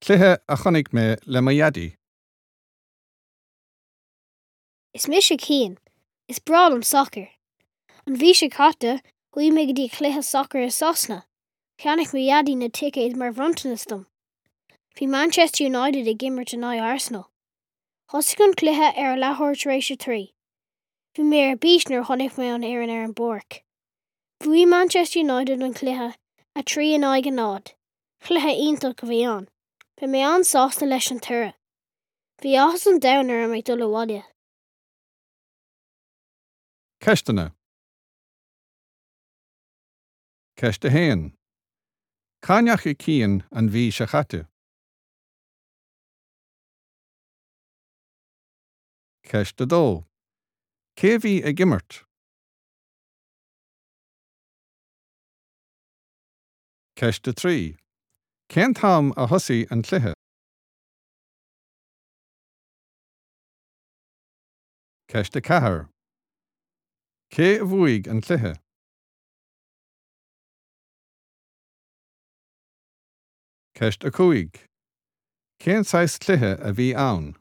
Cluiche a chonaic mé le mo dhaidí. Is mise Cian. Is breá liom sacar. An mhí seo caite, chuaigh mé go dtí cluiche sacair i Sasana. Cheannaigh mo dhaidí na ticéid mar bhronntanas dom. Bhí Manchester United ag imirt in aghaidh Arsenal. Thosaigh an cluiche ar a leathuair tar éis a 3. Bhí mé ar bís nuair a chonaic mé an fhoireann ar an bpáirc. Bhuaigh Manchester United an cluiche, 3 in aghaidh 0. Cluiche iontach a bhí ann. Bhí mé an-sásta leis an toradh. Bhí áthas an domhain orm ag dul abhaile. Ceisteanna. Ceist 1. Cá ndeachaigh Cian an mhí seo chaite? Ceist 2. Cé a bhí ag imirt? Ceist 3. Cén t-am a thosaigh an cluiche? Ceist 4. Cé a bhuaigh an cluiche? Ceist 5. Cén saghas cluiche a bhí ann?